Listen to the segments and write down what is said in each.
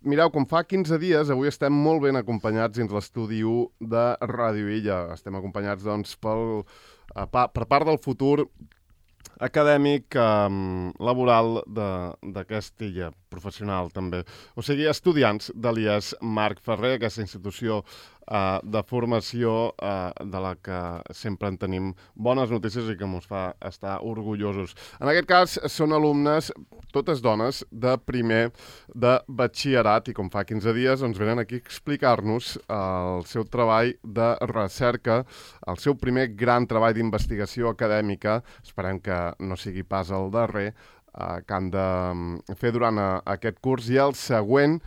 mireu, com fa 15 dies, avui estem molt ben acompanyats dins l'estudi 1 de Ràdio Illa. Estem acompanyats, doncs, per part del futur acadèmic, laboral d'aquesta illa, professional també. O sigui, estudiants de l'IES Marc Ferrer, aquesta institució de formació de la que sempre en tenim bones notícies i que ens fa estar orgullosos. En aquest cas, són alumnes, totes dones, de primer de batxillerat i com fa 15 dies ens venen aquí a explicar-nos el seu treball de recerca, el seu primer gran treball d'investigació acadèmica, esperem que no sigui pas el darrer, que han de fer durant aquest curs i el següent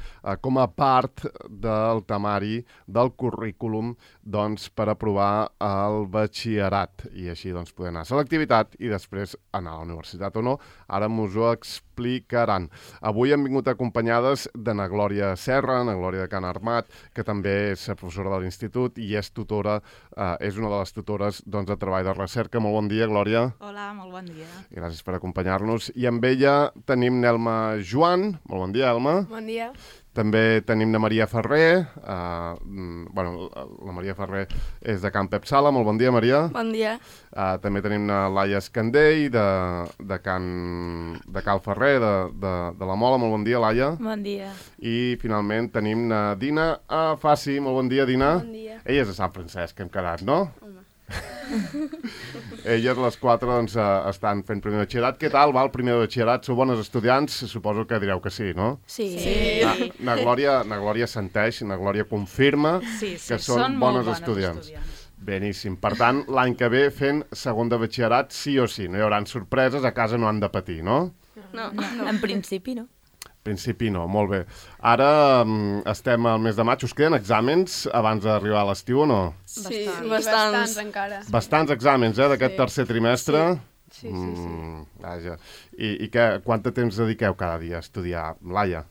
com a part del temari del currículum doncs, per aprovar el batxillerat i així doncs, poder anar a selectivitat i després anar a la universitat o no. Ara m'us ho explicaran. Avui hem vingut acompanyades de na Glòria Serra, na Glòria de Can Armat, que també és professora de l'institut i és tutora, és una de les tutores doncs, de treball de recerca. Molt bon dia, Glòria. Hola, molt bon dia. Gràcies per acompanyar-nos. I amb ella tenim Nelma Joan. Molt bon dia, Elma. Bon dia. També tenim na Maria Ferrer. La Maria Ferrer és de Can Pep Sala. Molt bon dia, Maria. Bon dia. També tenim na Laia Escandell, de Cal Ferrer, de la Mola. Molt bon dia, Laia. Bon dia. I finalment tenim na Dina Faci. Molt bon dia, Dina. Bon dia. Ella és de Sant Francesc, que hem quedat, no? Home. Elles, les quatre, doncs, estan fent primer de batxillerat. Què tal va el primer de batxillerat? Sou bones estudiants? Suposo que direu que sí, no? Sí. Na Glòria assenteix, na Glòria confirma que són bones estudiants. Beníssim. Per tant, l'any que ve fent segon de batxillerat sí o sí. No hi haurà sorpreses, a casa no han de patir, no? No. En principi no. Principi no, molt bé. Ara estem al mes de maig. Us queden exàmens abans d'arribar a l'estiu o no? Sí, bastants encara. Bastants exàmens, d'aquest tercer trimestre? Sí. Vaja. I quant de temps dediqueu cada dia a estudiar, Laia?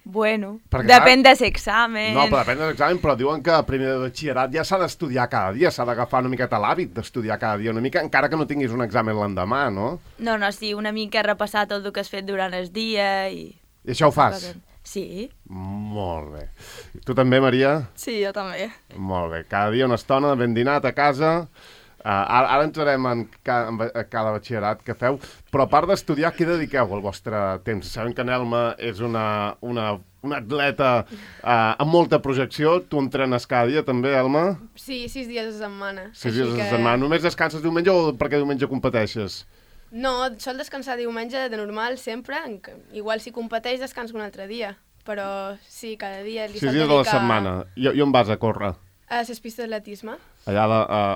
Bueno, Perquè, depèn dels exàmens. No, però depèn dels exàmens, però diuen que a primer de batxillerat ja s'ha d'estudiar cada dia, s'ha d'agafar una miqueta l'hàbit d'estudiar cada dia, una mica, encara que no tinguis un examen l'endemà, no? No, sí, una mica repassar tot el que has fet durant el dia i... I això ho fas? Sí. Molt bé. I tu també, Maria? Sí, jo també. Molt bé. Cada dia una estona ben dinat a casa. Ara entrarem en cada batxillerat que feu, però a part d'estudiar, què dediqueu al vostre temps? Sabem que Nelma és una atleta amb molta projecció. Tu entrenes cada dia també, Elma? Sí, 6 dies a setmana. 6 dies a setmana. Només descanses diumenge o perquè diumenge competeixes? No, sol descansar diumenge de normal sempre. Igual si competeix descanso un altre dia. Però sí, cada dia li 6 dies a la setmana. I on vas a córrer? A les pistes d'atletisme. Allà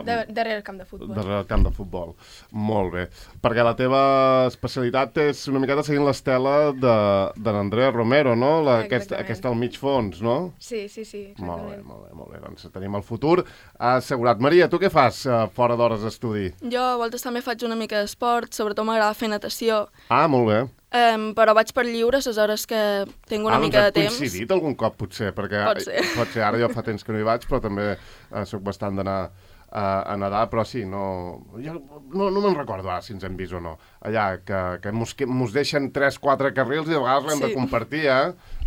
darrere el camp de futbol. Darrere el camp de futbol. Molt bé. Perquè la teva especialitat és una miqueta seguint l'estela de l'Andrea Romero, no? Aquesta al mig fons, no? Sí, exactament. Molt bé. Doncs tenim el futur assegurat. Maria, tu què fas fora d'hores d'estudi? Jo a voltes també faig una mica d'esport, sobretot m'agrada fer natació. Molt bé. Però vaig per lliure les hores que tinc una mica de temps. Doncs hem coincidit algun cop, potser, perquè pot ser. Ara jo fa temps que no hi vaig, però també soc bastant d'anar a nedar, però sí, no me'n recordo ara si ens hem vist o no. Allà, que mos deixen 3-4 carrils i de vegades l'hem de compartir,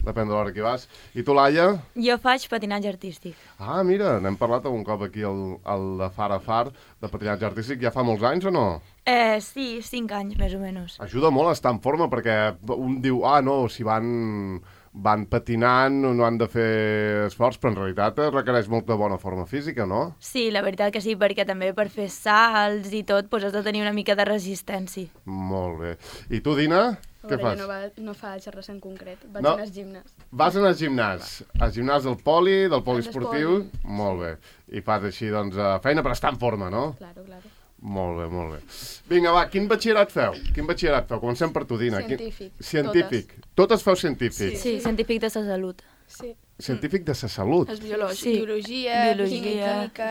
depèn de l'hora que hi vas. I tu, Laia? Jo faig patinatge artístic. Mira, n'hem parlat algun cop aquí al de Far a Far, de patinatge artístic, ja fa molts anys o no? Sí, 5 anys, més o menys. Ajuda molt a estar en forma, perquè un diu, no, si van patinant, no han de fer esforç, però en realitat requereix molta bona forma física, no? Sí, la veritat que sí, perquè també per fer salts i tot has de tenir una mica de resistència. Molt bé. I tu, Dina, què fas? Jo no faig res en concret, vaig anar al gimnàs. Vas anar al gimnàs? Al gimnàs del poliesportiu? Molt bé. I fas així, doncs, feina per estar en forma, no? Claro. Molt bé. Vinga, va, quin batxillerat feu? Comencem per tu, Dina. Científic. Totes feu científic? Sí, científic de la salut. Sí. Científic de la salut? És biològic. Sí. Biologia, química...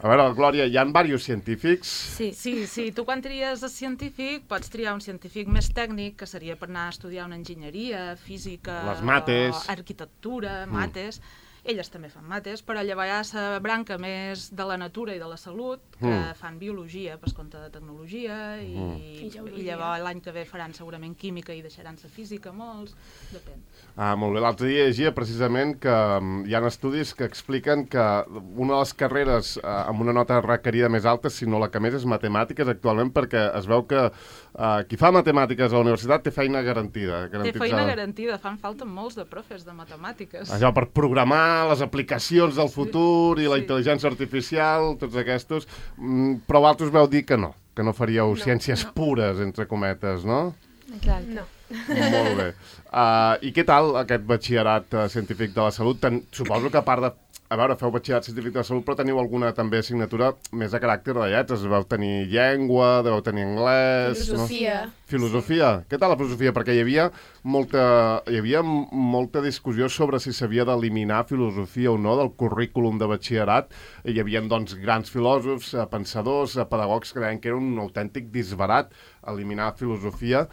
A veure, Glòria, hi ha diversos científics? Sí. Tu quan tries el científic pots triar un científic més tècnic, que seria per anar a estudiar una enginyeria, física... Les mates... arquitectura, mates... elles també fan mates, però llavors hi ha la branca més de la natura i de la salut, que fan biologia per compte de tecnologia, i llavors l'any que ve faran segurament química i deixaran la física molts, depèn. Molt bé, l'altre dia llegia precisament que hi ha estudis que expliquen que una de les carreres amb una nota requerida més alta, si no la que més, és matemàtiques actualment, perquè es veu que qui fa matemàtiques a la universitat té feina garantida. Té feina garantida, fan falta molts de profes de matemàtiques. Allò per programar les aplicacions del futur i la intel·ligència artificial, tots aquests, però vosaltres veu dir que no faríeu ciències pures, entre cometes, no? Exacte. No. Molt bé. I què tal aquest batxillerat científic de la salut? Suposo que a part de... A veure, feu batxillerat científic de la salut, però teniu alguna també assignatura més de caràcter de lletres. Deveu tenir llengua, deveu tenir anglès... Filosofia. No? Filosofia. Sí. Què tal la filosofia? Perquè hi havia molta discussió sobre si s'havia d'eliminar filosofia o no del currículum de batxillerat. Hi havia, doncs, grans filòsofs, pensadors, pedagogs que deien que era un autèntic disbarat eliminar filosofia.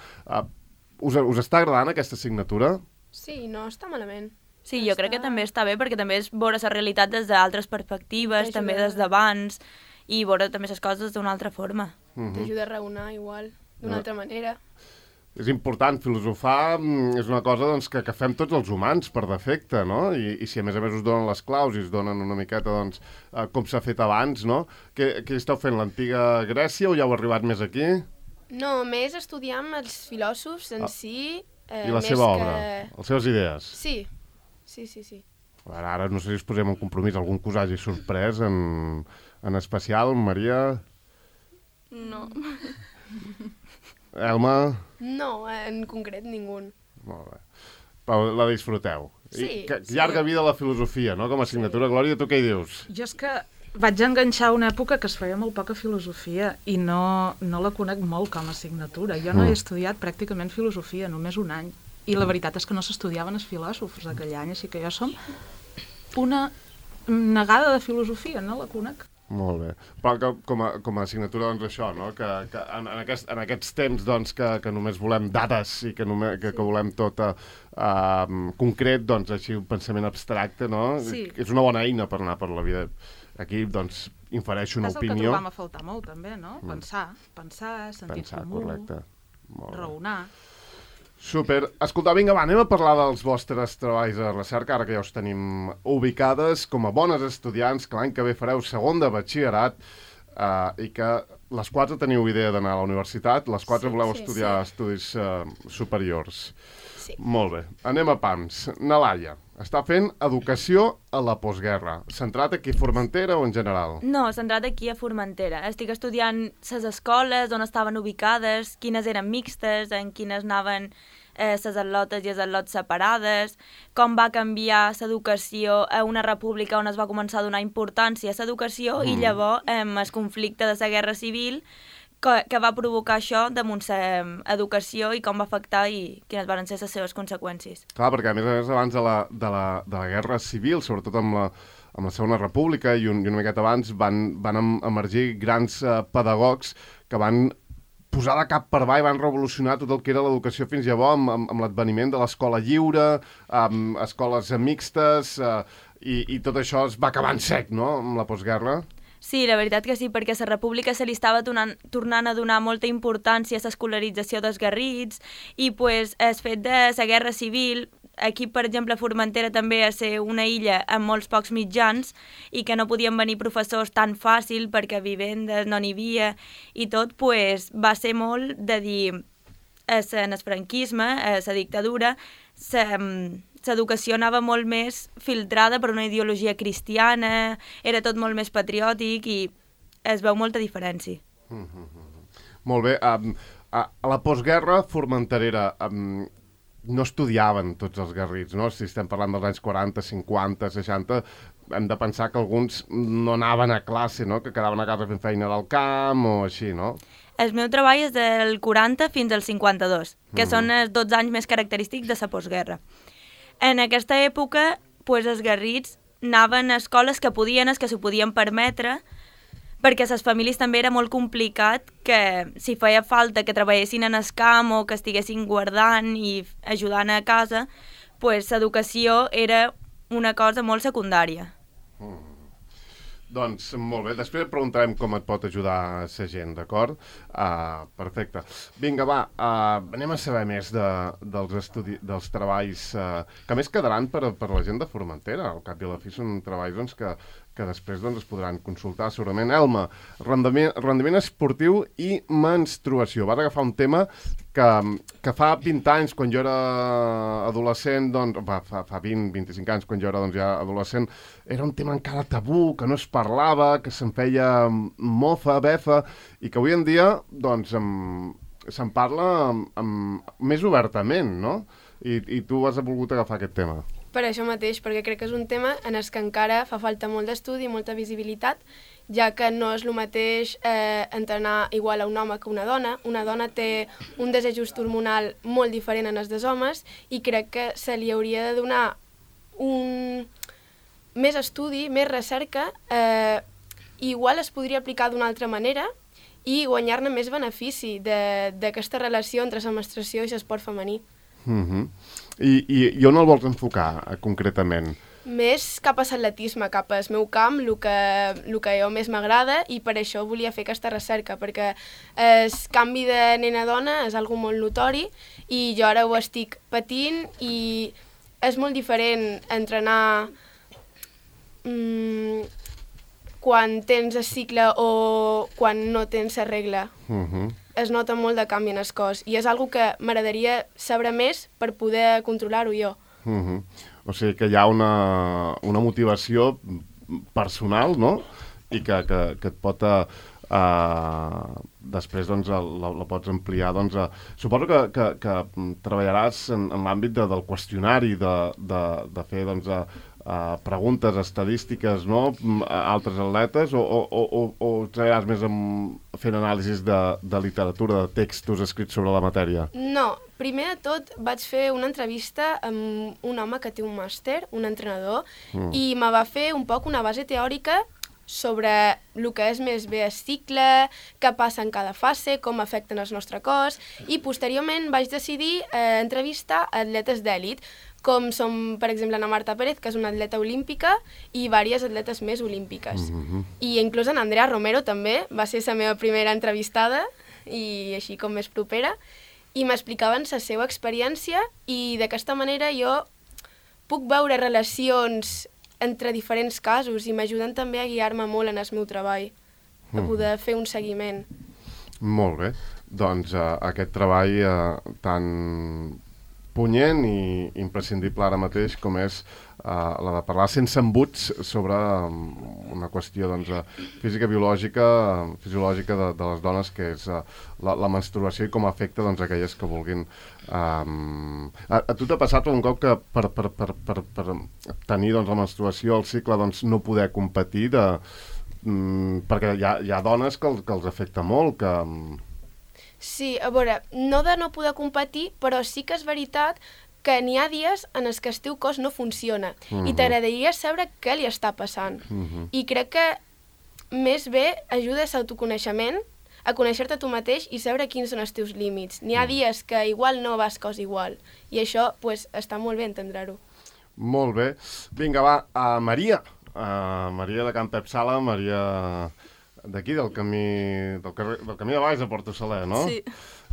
Us està agradant aquesta assignatura? Sí, no està malament. Sí, jo crec que també està bé, perquè també és veure la realitat des d'altres perspectives, també des d'abans, i veure també les coses d'una altra forma. T'ajuda a raonar igual, d'una altra manera. És important, filosofar és una cosa doncs, que fem tots els humans per defecte, no? I si a més us donen les claus i us donen una miqueta doncs, com s'ha fet abans, no? Què esteu fent, l'antiga Grècia o ja heu arribat més aquí? No, més estudiar amb els filòsofs en si... I la seva obra, les seves idees? Sí. Ara no sé si us posem un compromís, algun que us hagi sorprès en especial, Maria? No. Elma? No, en concret ningú. Molt bé. Però la disfruteu. Sí. Llarga vida a la filosofia, no? Com a assignatura. Glòria, tu què hi dius? Jo és que vaig enganxar una època que es feia molt poca filosofia i no la conec molt com a assignatura. Jo no he estudiat pràcticament filosofia, només un any. I la veritat és que no s'estudiaven els filòsofs aquell any, així que jo som una negada de filosofia, no la conec. Molt bé. Però com a assignatura, doncs això, no? Que en aquests temps doncs, que només volem dades i que volem tot concret, doncs així un pensament abstracte, no? Sí. És una bona eina per anar per la vida. Aquí, doncs, infereixo una opinió. És el que trobam a faltar molt, també, no? Pensar, sentit comú, correcte. raonar... Super. Escolta, vinga, anem a parlar dels vostres treballs de recerca, ara que ja us tenim ubicades com a bones estudiants, que l'any que ve fareu segon de batxillerat i que les 4 teniu idea d'anar a la universitat, les 4 voleu estudiar estudis superiors. Sí. Molt bé. Anem a pams. Nalaia, està fent educació a la postguerra. Centrat aquí a Formentera o en general? No, centrat aquí a Formentera. Estic estudiant les escoles, on estaven ubicades, quines eren mixtes, en quines anaven les atlotes i els atlots separades, com va canviar l'educació a una república on es va començar a donar importància a l'educació i llavors el conflicte de la guerra civil que va provocar això damunt l'educació i com va afectar i quines van ser les seves conseqüències. Clar, perquè a més abans de la guerra civil, sobretot amb la Segona República i una miqueta abans, van emergir grans pedagogs que van posar de cap per avall, van revolucionar tot el que era l'educació fins llavors amb l'adveniment de l'escola lliure, amb escoles mixtes, i tot això es va acabar en sec, no?, amb la postguerra. Sí, la veritat que sí, perquè a la república se li estava tornant a donar molta importància a l'escolarització dels garrits i pues, el fet de la guerra civil, aquí, per exemple, Formentera també a ser una illa amb molts pocs mitjans i que no podien venir professors tan fàcil perquè vivendes no n'hi havia i tot, pues, va ser molt de dir en el franquisme, a la dictadura, l'educació anava molt més filtrada per una ideologia cristiana, era tot molt més patriòtic i es veu molta diferència. Molt bé. A la postguerra formenterera no estudiaven tots els garrits, no? Si estem parlant dels anys 40, 50, 60, hem de pensar que alguns no anaven a classe, no? Que quedaven a casa fent feina del camp o així, no? El meu treball és del 40 fins al 52, que són els 12 anys més característics de la postguerra. En aquesta època, pues, els garrits anaven a escoles que podien, que s'ho podien permetre, perquè a les famílies també era molt complicat que si feia falta que treballessin en el camp o que estiguessin guardant i ajudant a casa, pues, l'educació era una cosa molt secundària. Doncs molt bé, després et preguntarem com et pot ajudar la gent, d'acord? Perfecte. Vinga, va, anem a saber més dels treballs que més quedaran per la gent de Formentera. Al cap i a la fi són treballs doncs, que després es podran consultar segurament. Elma, rendiment esportiu i menstruació. Vas agafar un tema que fa 20 anys, quan jo era adolescent, doncs, fa 20-25 anys, quan jo era ja adolescent, era un tema encara tabú, que no es parlava, que se'n feia mofa, befa, i que avui en dia doncs, se'n parla més obertament, no? I tu has volgut agafar aquest tema. Per això mateix, perquè crec que és un tema en el que encara fa falta molt d'estudi i molta visibilitat, ja que no és el mateix entrenar igual a un home que una dona. Una dona té un desajust hormonal molt diferent en els dels homes i crec que se li hauria de donar més estudi, més recerca, igual es podria aplicar d'una altra manera i guanyar-ne més benefici d'aquesta relació entre la menstruació i l'esport femení. I on el vols enfocar, concretament? Més cap a l'atletisme, cap al meu camp, el que jo més m'agrada, i per això volia fer aquesta recerca, perquè el canvi de nena a dona és algo molt notori i jo ara ho estic patint i és molt diferent entrenar quan tens el cicle o quan no tens la regla. Es nota molt de canvi en el cos i és algo que m'agradaria saber més per poder controlar-ho jo. O sigui que hi ha una motivació personal, no? I que et pot... després doncs, la pots ampliar. Suposo que treballaràs en l'àmbit del qüestionari, de fer preguntes estadístiques, no? A altres atletes, o treballaràs més fent anàlisis de literatura, de textos escrits sobre la matèria? No, primer de tot vaig fer una entrevista amb un home que té un màster, un entrenador, i me va fer un poc una base teòrica sobre el que és més bé el cicle, què passa en cada fase, com afecten el nostre cos, i posteriorment vaig decidir entrevistar atletes d'èlit, com són, per exemple, Ana Marta Pérez, que és una atleta olímpica, i diverses atletes més olímpiques. I inclús en Andrea Romero també, va ser la meva primera entrevistada, i així com més propera, i m'explicaven la seva experiència, i d'aquesta manera jo puc veure relacions entre diferents casos i m'ajuden també a guiar-me molt en el meu treball, a poder fer un seguiment. Molt bé. Doncs aquest treball tan punyent i imprescindible ara mateix com és la de parlar sense embuts sobre una qüestió física-biològica, fisiològica de les dones, que és la menstruació i com afecta aquelles que vulguin. A tu t'ha passat un cop que per tenir la menstruació, el cicle, no poder competir, perquè hi ha dones que els afecta molt, que... Sí, a veure, no de no poder competir, però sí que és veritat que n'hi ha dies en els que el teu cos no funciona i t'agradaria saber què li està passant. I crec que més bé ajuda a l'autoconeixement, a conèixer-te tu mateix i saber quins són els teus límits. N'hi ha dies que igual no vas cos igual i això està molt bé entendre-ho. Molt bé. Vinga, va, Maria. Maria de Can Pep Sala, Maria... d'aquí, del camí de baix de Porto Saler, no? Sí.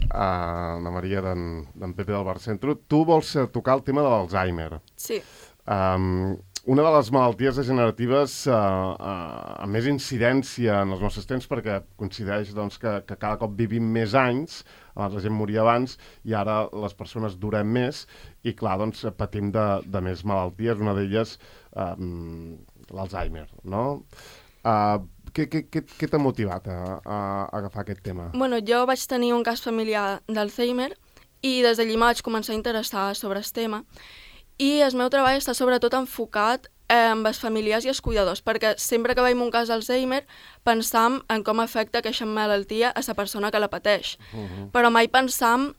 La Maria d'en Pepe del Bar Centro. Tu vols tocar el tema de l'Alzheimer. Sí. Una de les malalties degeneratives amb més incidència en els nostres temps, perquè coincideix que cada cop vivim més anys, abans la gent moria abans, i ara les persones durem més, i clar, patim de més malalties, una d'elles l'Alzheimer, no? Què t'ha motivat a agafar aquest tema? Bueno, jo vaig tenir un cas familiar d'Alzheimer i des d'allí vaig començar a interessar sobre el tema. I el meu treball està sobretot enfocat amb els familiars i els cuidadors, perquè sempre que veiem un cas d'Alzheimer pensam en com afecta aquesta malaltia a la persona que la pateix. Però mai pensam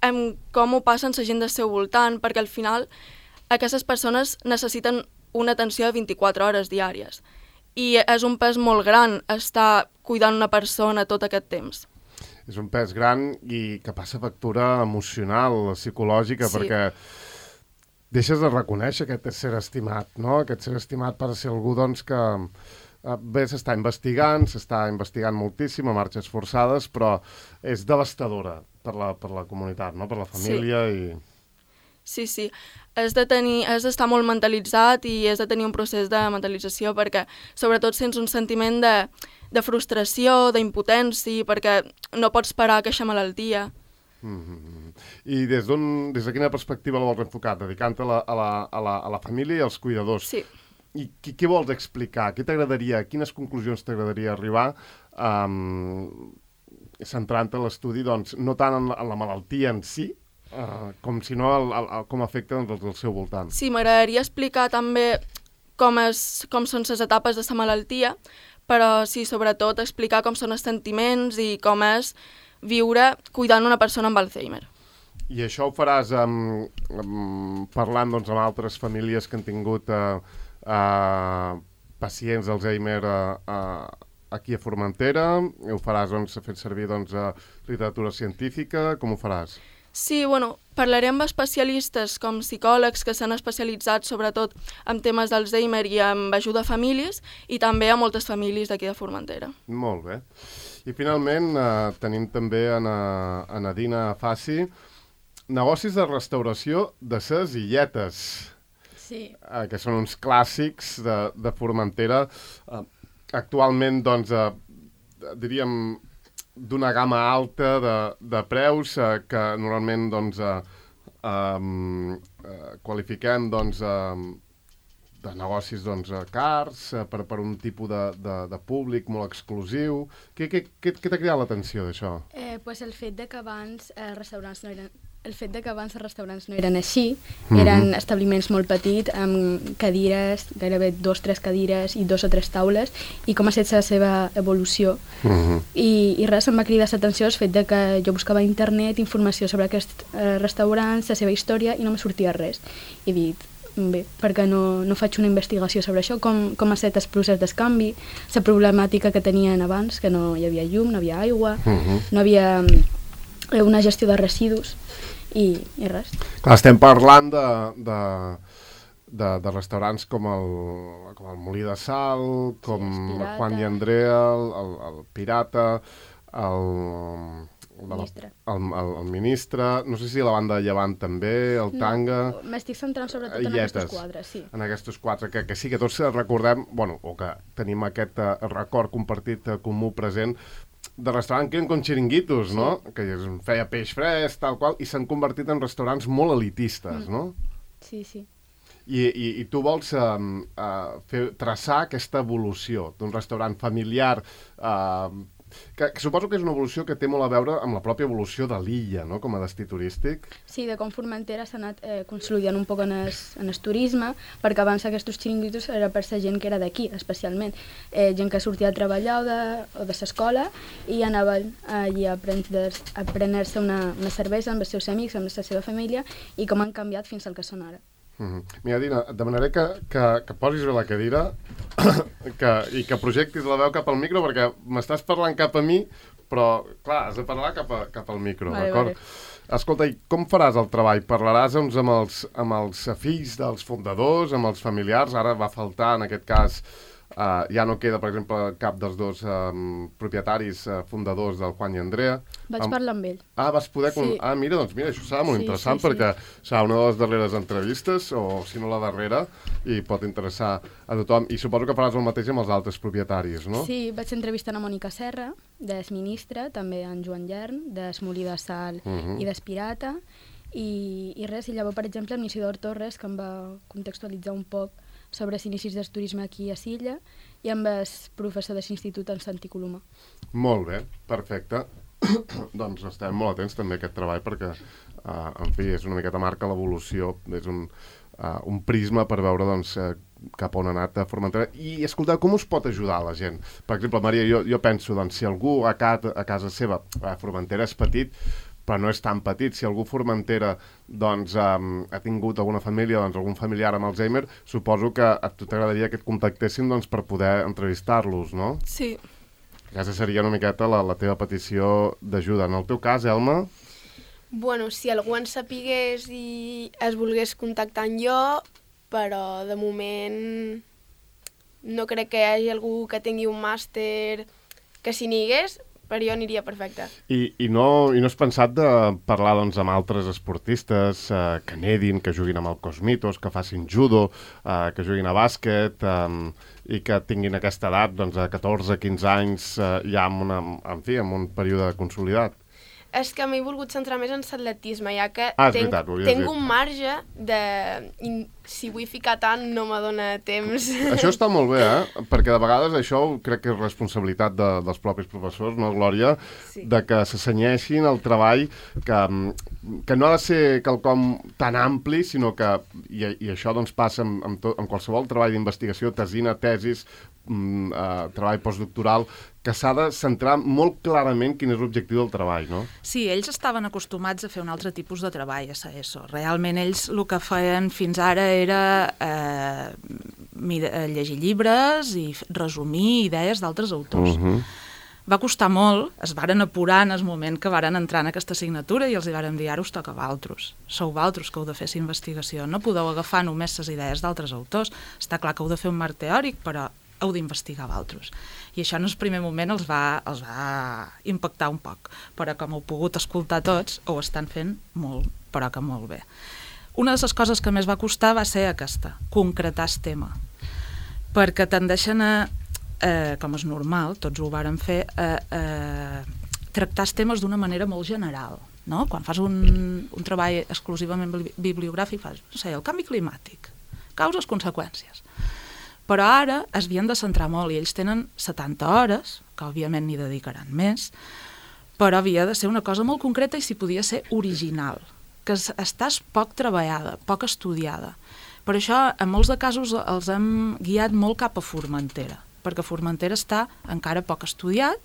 en com ho passen la gent del seu voltant, perquè al final aquestes persones necessiten una atenció de 24 hores diàries. I és un pes molt gran estar cuidant una persona tot aquest temps. És un pes gran i que passa factura emocional, psicològica, sí. Perquè deixes de reconèixer aquest ser estimat, no? Aquest ser estimat per ser algú, doncs, que bé, s'està investigant moltíssim a marxes forçades, però és devastadora per la comunitat, no? Per la família i... Sí. Has d'estar molt mentalitzat i has de tenir un procés de mentalització perquè sobretot sents un sentiment de frustració, d'impotència, perquè no pots parar aquesta malaltia. I des de quina perspectiva la vols enfocar? Dedicant-te a la família i als cuidadors. Sí. I què vols explicar? Quines conclusions t'agradaria arribar centrant-te en l'estudi, doncs, no tant en la malaltia en si, com sinó com afecta doncs, el seu voltant. Sí, m'agradaria explicar també com són les etapes de la malaltia, però sí, sobretot explicar com són els sentiments i com és viure cuidant una persona amb Alzheimer. I això ho faràs parlant doncs, amb altres famílies que han tingut pacients d'Alzheimer aquí a Formentera? Ho faràs doncs, fent servir doncs, literatura científica? Com ho faràs? Sí, parlaré amb especialistes com psicòlegs que s'han especialitzat sobretot en temes d'Alzheimer i amb ajuda a famílies i també a moltes famílies d'aquí de Formentera. Molt bé. I finalment tenim també a Nadina Fassi, negocis de restauració de ses illetes. Sí. Que són uns clàssics de Formentera. Actualment, doncs, diríem, d'una gamma alta de preus que normalment doncs, qualifiquem doncs, de negocis doncs, cars per un tipus de públic molt exclusiu. Què t'ha cridat l'atenció d'això? Pues el fet de que abans els restaurants no eren així, eren establiments molt petits, amb cadires, gairebé 2-3 cadires i 2 o 3 taules, i com ha estat la seva evolució. I res, em va cridar l'atenció el fet de que jo buscava a internet informació sobre aquests restaurants, la seva història, i no me sortia res. I he dit, bé, perquè no faig una investigació sobre això, com ha estat el procés d'escanvi, la problemàtica que tenien abans, que no hi havia llum, no havia aigua, no havia una gestió de residus, i res. Clar, estem parlant de restaurants com el Molí de Sal, com el Juan i Andrea, el Pirata, el Ministre, no sé si la banda de Llevant també, el Tanga... M'estic centrant sobretot en aquests quadres, sí. En aquests quatre, que sí, que tots recordem, o que tenim aquest record compartit comú present, de restaurant que eren com xiringuitos, no? Que es feia peix fresc, tal qual, i s'han convertit en restaurants molt elitistes, no? Sí. I tu vols traçar aquesta evolució d'un restaurant familiar que suposo que és una evolució que té molt a veure amb la pròpia evolució de l'illa, no?, com a destí turístic. Sí, de com Formentera s'ha anat consolidant un poc en el turisme, perquè abans aquests xiringuitos era per la gent que era d'aquí, especialment. Gent que sortia a treballar o de l'escola i anaven allí a prendre-se una cervesa amb els seus amics, amb la seva família, i com han canviat fins al que són ara. Mira, Dina, et demanaré que posis bé la cadira i que projectis la veu cap al micro, perquè m'estàs parlant cap a mi, però, clar, has de parlar cap al micro, d'acord? Escolta, i com faràs el treball? Parlaràs doncs, amb els fills dels fundadors, amb els familiars? Ara va faltar, en aquest cas, ja no queda, per exemple, cap dels dos propietaris fundadors del Juan i Andrea. Vaig parlar amb ell. Vas poder... Sí. Mira, doncs mira, això serà molt interessant, perquè serà una de les darreres entrevistes, o si no la darrera, i pot interessar a tothom. I suposo que faràs el mateix amb els altres propietaris, no? Sí, vaig entrevistar a Mònica Serra, del Ministre, també en Joan Llern, del Molí de Sal i del Pirata, i res, i llavors, per exemple, amb Isidor Torres, que em va contextualitzar un poc sobre els inicis del turisme aquí a Silla, i amb el professor de l'Institut en Santi Coloma. Molt bé, perfecte. Doncs estem molt atents també a aquest treball perquè, en fi, és una miqueta marca l'evolució, és un prisma per veure doncs, cap on ha anat a Formentera. I, escolteu, com us pot ajudar la gent? Per exemple, Maria, jo penso, doncs, si algú a casa seva, Formentera és petit, però no és tan petit. Si algú a Formentera doncs, ha tingut alguna família, doncs, algun familiar amb Alzheimer, suposo que a tu t'agradaria que et contactessin doncs, per poder entrevistar-los, no? Sí. Aquesta seria una miqueta la teva petició d'ajuda. En el teu cas, Elma? Bueno, si algú en sapigués i es volgués contactar amb jo, però de moment no crec que hi hagi algú que tingui un màster que si n'hi hagués, per jo aniria perfecte. I no has pensat de parlar doncs, amb altres esportistes que nedin, que juguin amb el Cosmitos, que facin judo, que juguin a bàsquet i que tinguin aquesta edat, doncs, de 14-15 anys, ja amb un període consolidat? És que m'he volgut centrar més en l'atletisme, ja que és veritat, tinc un marge de... Si vull ficar tant, no me dóna temps. Això està molt bé, perquè de vegades això crec que és responsabilitat dels propis professors, no, Glòria? Sí. De que s'assenyeixin el treball, que no ha de ser quelcom tan ampli, sinó que, i això doncs passa en qualsevol treball d'investigació, tesina, tesis, treball postdoctoral, que s'ha de centrar molt clarament quin és l'objectiu del treball, no? Sí, ells estaven acostumats a fer un altre tipus de treball a ESO. Realment ells el que feien fins ara era llegir llibres i resumir idees d'altres autors. Va costar molt, es varen apurar en el moment que varen entrar en aquesta assignatura i els hi varen dir, ara us toca a vosaltres. Sou vosaltres que heu de fer aquesta investigació. No podeu agafar només les idees d'altres autors. Està clar que heu de fer un marc teòric, però heu d'investigar vosaltres. I això en el primer moment els va impactar un poc, però com heu pogut escoltar tots, ho estan fent molt, però que molt bé. Una de les coses que més va costar va ser aquesta, concretar el tema, perquè tendeixen a, com és normal, tots ho varen fer, tractar els temes d'una manera molt general. No? Quan fas un treball exclusivament bibliogràfic, fas, no sé, el canvi climàtic, causes, conseqüències. Però ara es havien de centrar molt i ells tenen 70 hores, que òbviament n'hi dedicaran més, però havia de ser una cosa molt concreta i si podia ser original, que estàs poc treballada, poc estudiada. Per això, en molts de casos, els hem guiat molt cap a Formentera, perquè Formentera està encara poc estudiat,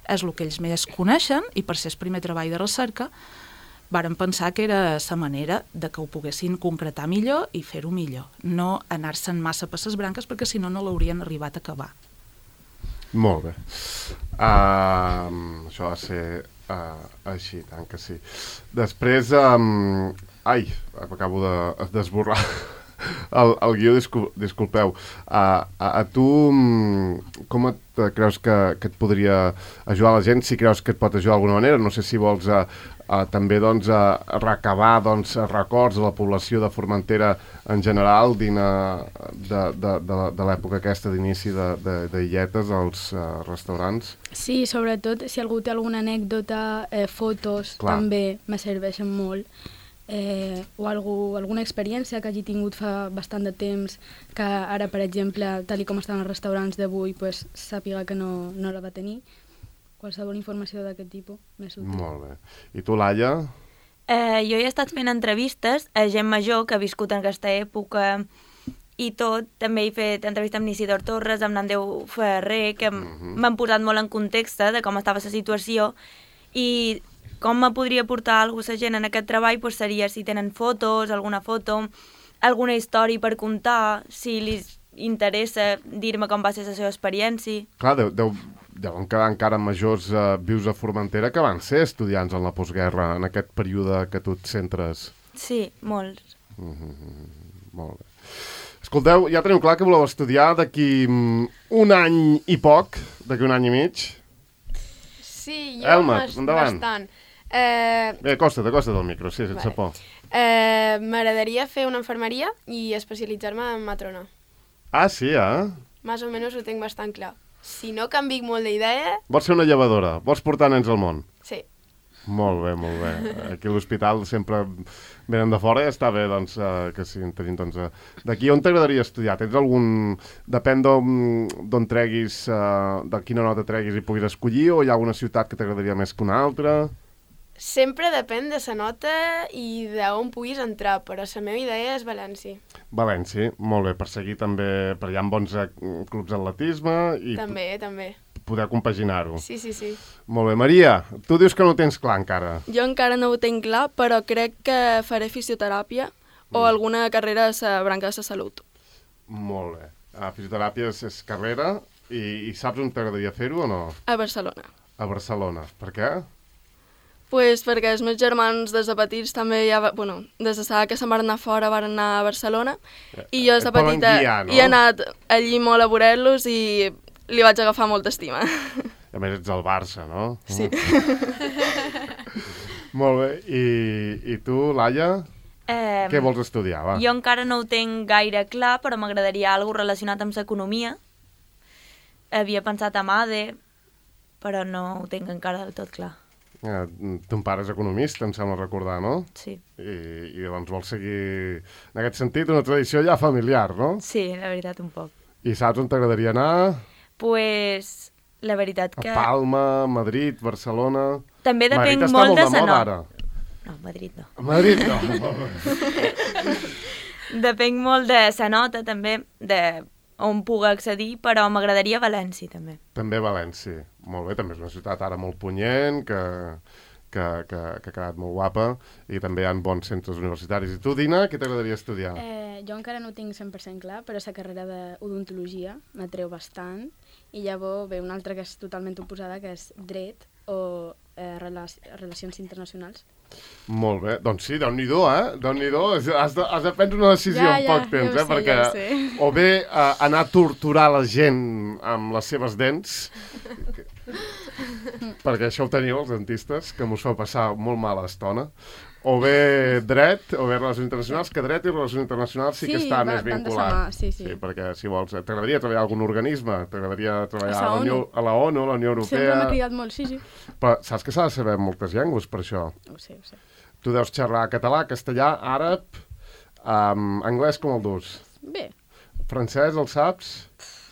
és el que ells més coneixen i per ser el primer treball de recerca varen pensar que era la manera de que ho poguessin concretar millor i fer-ho millor, no anar-se'n massa per les branques perquè si no, no l'haurien arribat a acabar. Molt bé. Això va ser així, tant que sí. Després, acabo d'esborrar el guió, disculpeu. A tu, com creus que et podria ajudar la gent? Si creus que et pot ajudar d'alguna manera? No sé si vols també recabar records de la població de Formentera en general de l'època aquesta d'inici d'illetes als restaurants. Sí, sobretot si algú té alguna anècdota, fotos, clar, també me serveixen molt. O alguna experiència que hagi tingut fa bastant de temps, que ara, per exemple, tal com estan els restaurants d'avui, pues, sàpiga que no la va tenir. Qualsevol informació d'aquest tipus més útil. Molt bé. I tu, Laia? Jo he estat fent entrevistes a gent major que ha viscut en aquesta època i tot. També he fet entrevista amb Isidor Torres, amb Nandeu Ferrer, que m'han posat molt en context de com estava la situació i com me podria portar alguna cosa gent en aquest treball pues seria si tenen fotos, alguna foto, alguna història per contar, si li interessa dir-me com va ser la seva experiència. Clar, deuen quedar encara majors vius a Formentera que van ser estudiants en la postguerra, en aquest període que tu et centres. Sí, molts. Molt bé. Escolteu, ja teniu clar que voleu estudiar d'aquí un any i poc, d'aquí un any i mig? Sí, jo bastant. Bé, acosta't al micro, sí, sense por. M'agradaria fer una infermeria i especialitzar-me en matrona. Ah, sí, Més o menys ho tinc bastant clar. Si no canviïc molt d'idea... Vols ser una llevadora? Vols portar nens al món? Sí. Molt bé, molt bé. Aquí a l'hospital sempre venen de fora i està bé doncs, que sí, tenim doncs, d'aquí. On t'agradaria estudiar? Tens algun... Depèn d'on treguis, de quina nota treguis i puguis escollir, o hi ha alguna ciutat que t'agradaria més que una altra? Sempre depèn de la nota i d'on puguis entrar, però la meva idea és València. València, molt bé, per seguir també, per allà amb bons clubs d'atletisme i També. Poder compaginar-ho. Sí. Molt bé, Maria, tu dius que no ho tens clar encara. Jo encara no ho tinc clar, però crec que faré fisioteràpia o alguna carrera a la branca de la salut. Molt bé. Fisioteràpia és carrera i saps on t'agradaria fer-ho o no? A Barcelona. A Barcelona. Per què? Pues perquè els meus germans des de petits també des de saber que se'n van anar fora van anar a Barcelona i jo des de petita he anat allí molt a veure-los i li vaig agafar molta estima. A més ets del Barça, no? Sí. Molt bé. I tu, Laia? Què vols estudiar, va? Jo encara no ho tinc gaire clar, però m'agradaria alguna relacionat amb l'economia. Havia pensat en ADE, però no ho tinc encara del tot clar. Ton pare és economista, em sembla recordar, no? Sí. I doncs vols seguir, en aquest sentit, una tradició ja familiar, no? Sí, la veritat, un poc. I saps on t'agradaria anar? Pues, la veritat que... A Palma, Madrid, Barcelona... També depèn Madrid molt de està la molt de moda, ara. No, Madrid no. A Madrid no. Depèn molt de la nota, també, de on pugui accedir, però m'agradaria València, també. També València. Molt bé, també és una ciutat ara molt punyent, que ha quedat molt guapa, i també hi ha bons centres universitaris. I tu, Dina, què t'agradaria estudiar? Jo encara no ho tinc 100% clar, però la carrera d'odontologia m'atreu bastant, i llavors ve una altra que és totalment oposada, que és dret o relacions internacionals. Molt bé, doncs sí, Déu-n'hi-do, Déu-n'hi-do, has de prendre una decisió en poc temps, perquè o bé anar a torturar la gent amb les seves dents, perquè això ho teniu els dentistes, que mos fa passar molt mala estona, o bé dret, o bé relacions internacionals, que dret i relacions internacionals sí que està més vinculat. Sí, perquè si vols, t'agradaria treballar a algun organisme, t'agradaria treballar a la ONU, la Unió Europea... Sempre m'ha cridat molt, sí. Però saps que s'ha de saber moltes llengües per això? Ho sé. Tu deus xerrar català, castellà, àrab, anglès com el dus? Bé. Francès, el saps?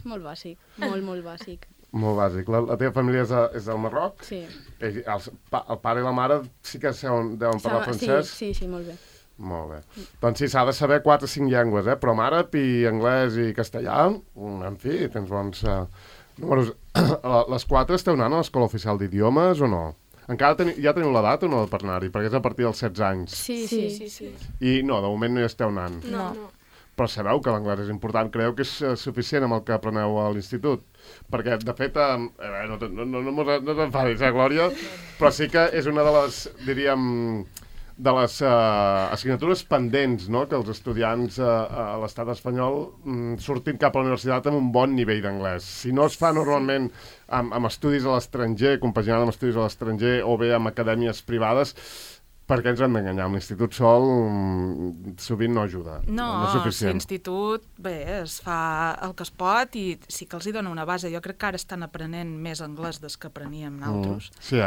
Molt bàsic, molt bàsic. Molt bàsic. La teva família és del Marroc? Sí. El pare i la mare sí que deuen parlar francès? Sí, molt bé. Molt bé. Doncs sí, s'ha de saber 4 o 5 llengües, però amb àrab i anglès i castellà, en fi, tens bons números. Les 4 esteu anant a l'Escola Oficial d'Idiomes o no? Encara ja teniu l'edat o no per anar-hi? Perquè és a partir dels 16 anys. Sí. I no, de moment no hi esteu anant. No. Però sabeu que l'anglès és important. Creieu que és suficient amb el que apreneu a l'institut? Perquè, de fet, no t'enfadis, Glòria? Però sí que és una de les, diríem, de les assignatures pendents, no?, que els estudiants a l'estat espanyol surtin cap a la universitat amb un bon nivell d'anglès. Si no es fa normalment amb estudis a l'estranger, compaginant amb estudis a l'estranger o bé amb acadèmies privades, perquè ens hem d'enganyar. L'institut sol sovint no ajuda. No, és suficient. l'institut, bé, es fa el que es pot i sí que els hi dona una base. Jo crec que ara estan aprenent més anglès des que apreníem nosaltres. Sí,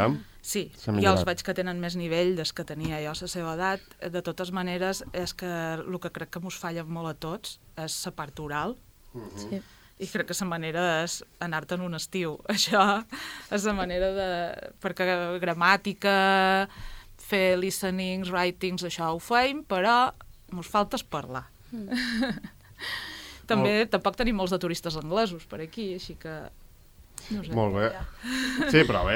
Sí, jo els veig que tenen més nivell des que tenia jo a la seva edat. De totes maneres, és que el que crec que mos falla molt a tots és la part oral. Sí. I crec que la manera és anar-te'n un estiu. Això és la manera de... Perquè gramàtica, fer listenings, writings, això ho feim, però mos falta parlar. També tampoc tenim molts de turistes anglesos per aquí, així que... No sé. Molt bé. Sí, però bé,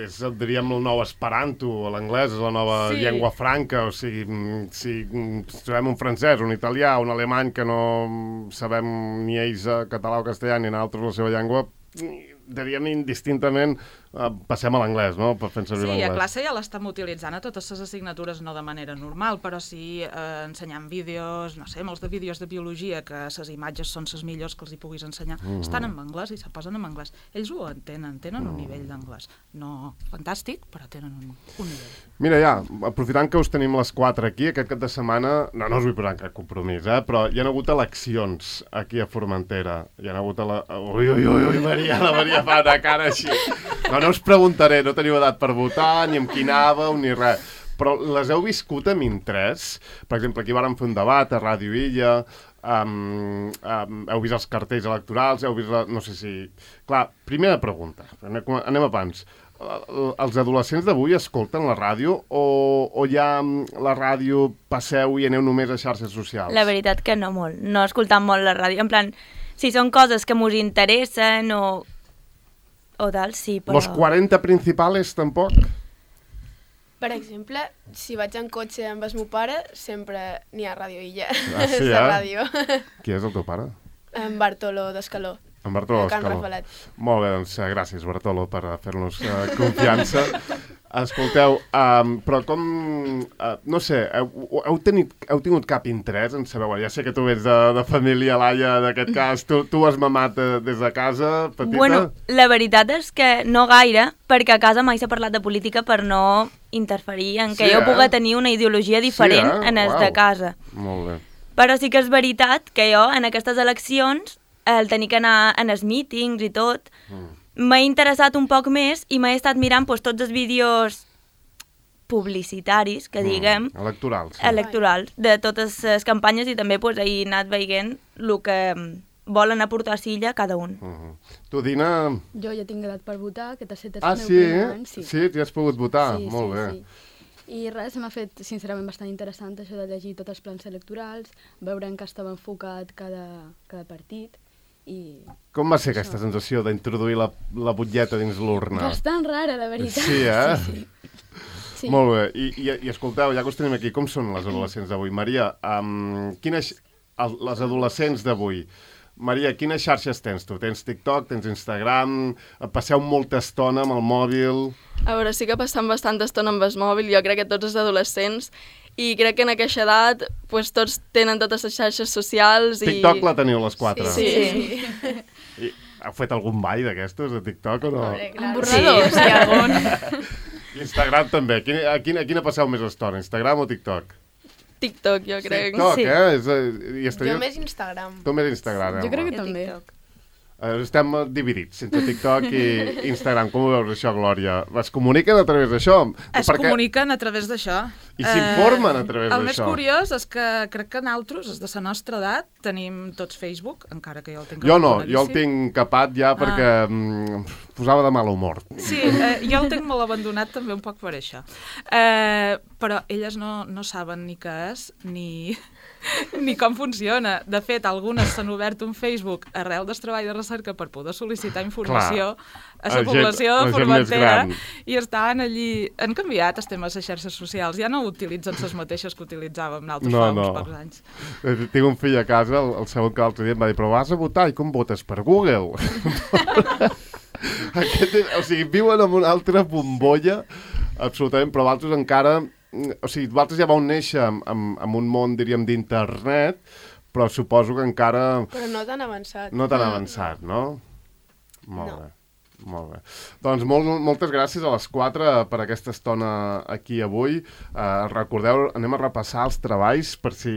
és, diríem, el nou esperanto, l'anglès és la nova llengua franca, o sigui, si sabem un francès, un italià, un alemany que no sabem ni ells català o castellà ni nosaltres la seva llengua, diríem indistintament passem a l'anglès, no?, per fer servir l'anglès. Sí, a classe ja l'estem utilitzant a totes les assignatures, no de manera normal, però sí ensenyant vídeos, no sé, molts de vídeos de biologia, que les imatges són les millors que els hi puguis ensenyar, estan en anglès i se posen en anglès. Ells ho entenen, tenen un nivell d'anglès. No fantàstic, però tenen un nivell. Mira, ja, aprofitant que us tenim les 4 aquí, aquest cap de setmana, no us vull posar cap compromís, però hi ha hagut eleccions aquí a Formentera. Hi ha hagut Ui, Maria, la Maria fa una cara així. No us preguntaré, no teniu edat per votar, ni amb qui anàveu, ni res. Però les heu viscut amb interès? Per exemple, aquí vàrem fer un debat a Ràdio Illa, heu vist els cartells electorals, heu vist... No sé si... Clar, primera pregunta, anem a pans. Els adolescents d'avui escolten la ràdio o ja la ràdio passeu i aneu només a xarxes socials? La veritat que no molt, no escoltant molt la ràdio, en plan, si són coses que mos interessen o tal, sí, però... Los 40 principals tampoc? Per exemple, si vaig en cotxe amb el meu pare, sempre n'hi ha Ràdio Illa. Ah, sí, la ràdio. Qui és el teu pare? En Bartolo d'Escaló. En Bartolo d'Escaló. Molt bé, doncs gràcies, Bartolo, per fer-nos confiança. Escolteu, però com... no sé, heu tingut cap interès en saber... Ja sé que tu ets de família, Laia, d'aquest cas. Tu has mamat des de casa, petita? Bueno, la veritat és que no gaire, perquè a casa mai s'ha parlat de política per no interferir en que jo pugui tenir una ideologia diferent en els de casa. Molt bé. Però sí que és veritat que jo, en aquestes eleccions, el tenir que anar en els mítings i tot... M'ha interessat un poc més i m'he estat mirant tots els vídeos publicitaris, que diguem... Electorals, de totes les campanyes i també he anat veient el que volen aportar a Silla cada un. Tu, Dina... Jo ja tinc edat per votar, que t'ha set el meu primer any. Sí, t'hi has pogut votar, molt bé. I res, m'ha fet, sincerament, bastant interessant això de llegir tots els plans electorals, veure en què estava enfocat cada partit. Com va ser aquesta sensació d'introduir la butlleta dins l'urna? Bastant rara, la veritat. Sí, eh? Sí. Molt bé. I escolteu, ja que us tenim aquí, com són les adolescents d'avui? Maria, les adolescents d'avui, Maria, quines xarxes tens tu? Tens TikTok, tens Instagram, passeu molta estona amb el mòbil... A veure, sí que passem bastanta estona amb el mòbil, jo crec que tots els adolescents, i crec que en aquesta edat tots tenen totes les xarxes socials i... TikTok la teniu les 4? Sí. I heu fet algun ball d'aquestos de TikTok o no? Emborradors, sí, algun. Instagram també. A quina passeu més estona, Instagram o TikTok? TikTok, jo crec. TikTok, eh? Jo més Instagram. Tu més Instagram, Jo crec que també. Estem dividits entre TikTok i Instagram. Com ho veus això, Glòria? Es comuniquen a través d'això? Comuniquen a través d'això. I s'informen a través d'això. El més curiós és que crec que nosaltres, els de la nostra edat, tenim tots Facebook, encara que jo el tinc... Jo no, jo el tinc capat ja perquè posava de mal humor. Sí, jo el tinc molt abandonat també un poc per això. Però elles no saben ni què és, ni com funciona. De fet, algunes s'han obert un Facebook arrel del treball de recerca per poder sol·licitar informació a la població de Formentera i estaven allí... Han canviat els temes de xarxes socials, ja no utilitzen les mateixes que utilitzàvem nosaltres fa uns pocs anys. Tinc un fill a casa, el segon que l'altre dia em va dir, però vas a votar i com votes? Per Google? O sigui, viuen en una altra bombolla, absolutament, però vosaltres encara... O sigui, vosaltres ja vau néixer en un món, diríem, d'internet, però suposo que encara... Però no tan avançat. No tan avançat, no? Molt bé. Molt bé. Doncs moltes gràcies a les 4 per aquesta estona aquí avui. Recordeu, anem a repassar els treballs per si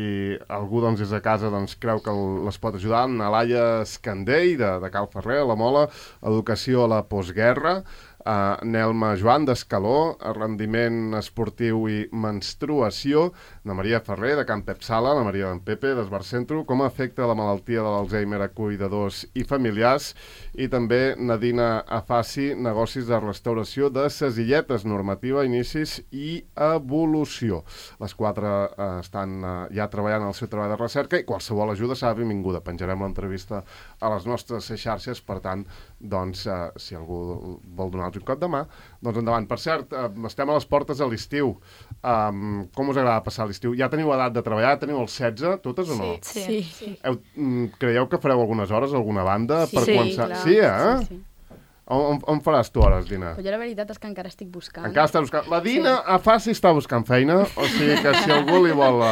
algú des de casa creu que les pot ajudar. Na Laia Escandell, de Cal Ferrer, a la Mola, Educació a la Postguerra, Nelma Joan d'Escaló, Rendiment Esportiu i Menstruació, na Maria Ferrer, de Can Pep Sala, la Maria d'en Pepe, d'Esbar Centro, com afecta la malaltia de l'Alzheimer a cuidadors i familiars, i també Nadina Afaci, Negocis de Restauració de ses Illetes, Normativa, Inicis i Evolució. Les 4 estan ja treballant el seu treball de recerca i qualsevol ajuda serà benvinguda. Penjarem l'entrevista a les nostres xarxes, per tant, si algú vol donar un cop de mà, doncs endavant. Per cert, estem a les portes de l'estiu. Com us agrada passar l'estiu? Ja teniu edat de treballar? Teniu els 16, totes o no? Sí. Creieu que fareu algunes hores a alguna banda? Sí, començar? clar. Sí, eh? Sí. On faràs tu hores, Dina? Però jo la veritat és que encara estic buscant. Encara estàs buscant. La Dina a Faci està buscant feina, o sigui que si algú li vol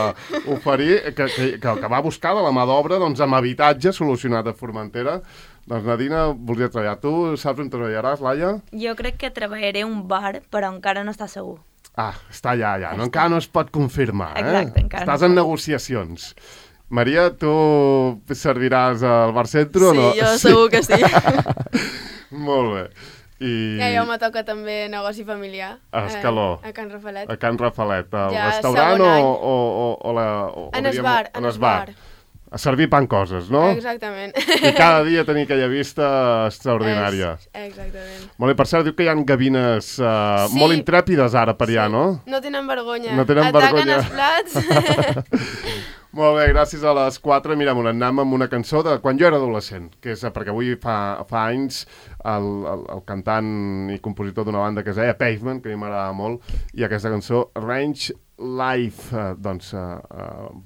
oferir, que va buscar de la mà d'obra amb habitatge solucionat a Formentera, doncs la Dina voldria treballar. Tu saps on treballaràs, Laia? Jo crec que treballaré a un bar, però encara no està segur. Està allà. Encara no es pot confirmar, Exacte, encara Estàs en negociacions. Maria, tu serviràs al Bar Centro o no? Sí, jo segur que sí. Molt bé. Ja, jo me toca també negoci familiar. A Escaló. A Can Rafalet. A Can Rafalet. Al Ja, restaurant segon any. o En es bar. A servir pan coses, no? Exactament. I cada dia tenir aquella vista extraordinària. Exactament. Molt bé, per cert, diu que hi ha gavines molt intrèpides ara per allà, no? No tenen vergonya. No tenen vergonya. Ataquen els plats. Molt bé, gràcies a les 4. Mirem, anem amb una cançó de quan jo era adolescent, que és perquè avui fa anys el cantant i compositor d'una banda que es deia Pavement, que a mi m'agradava molt, i aquesta cançó, Range Life,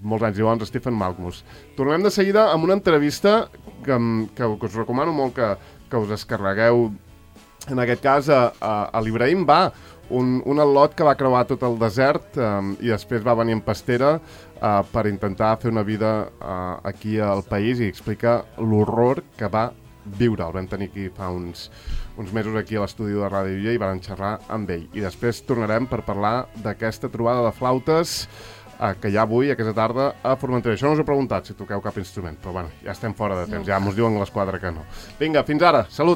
molts anys i bons, Stephen Malkmus. Tornem de seguida amb una entrevista que us recomano molt que us descarregueu, en aquest cas a l'Ibrahim Ba, un al·lot que va creuar tot el desert i després va venir en pastera per intentar fer una vida aquí al país i explica l'horror que va viure. El vam tenir aquí fa uns mesos aquí a l'estudi de Ràdio Illa i vam xerrar amb ell. I després tornarem per parlar d'aquesta trobada de flautes que hi ha avui, aquesta tarda, a Formentera. Això no us he preguntat si toqueu cap instrument, però bueno, ja estem fora de temps, ja mos diuen a les 4 que no. Vinga, fins ara, salut!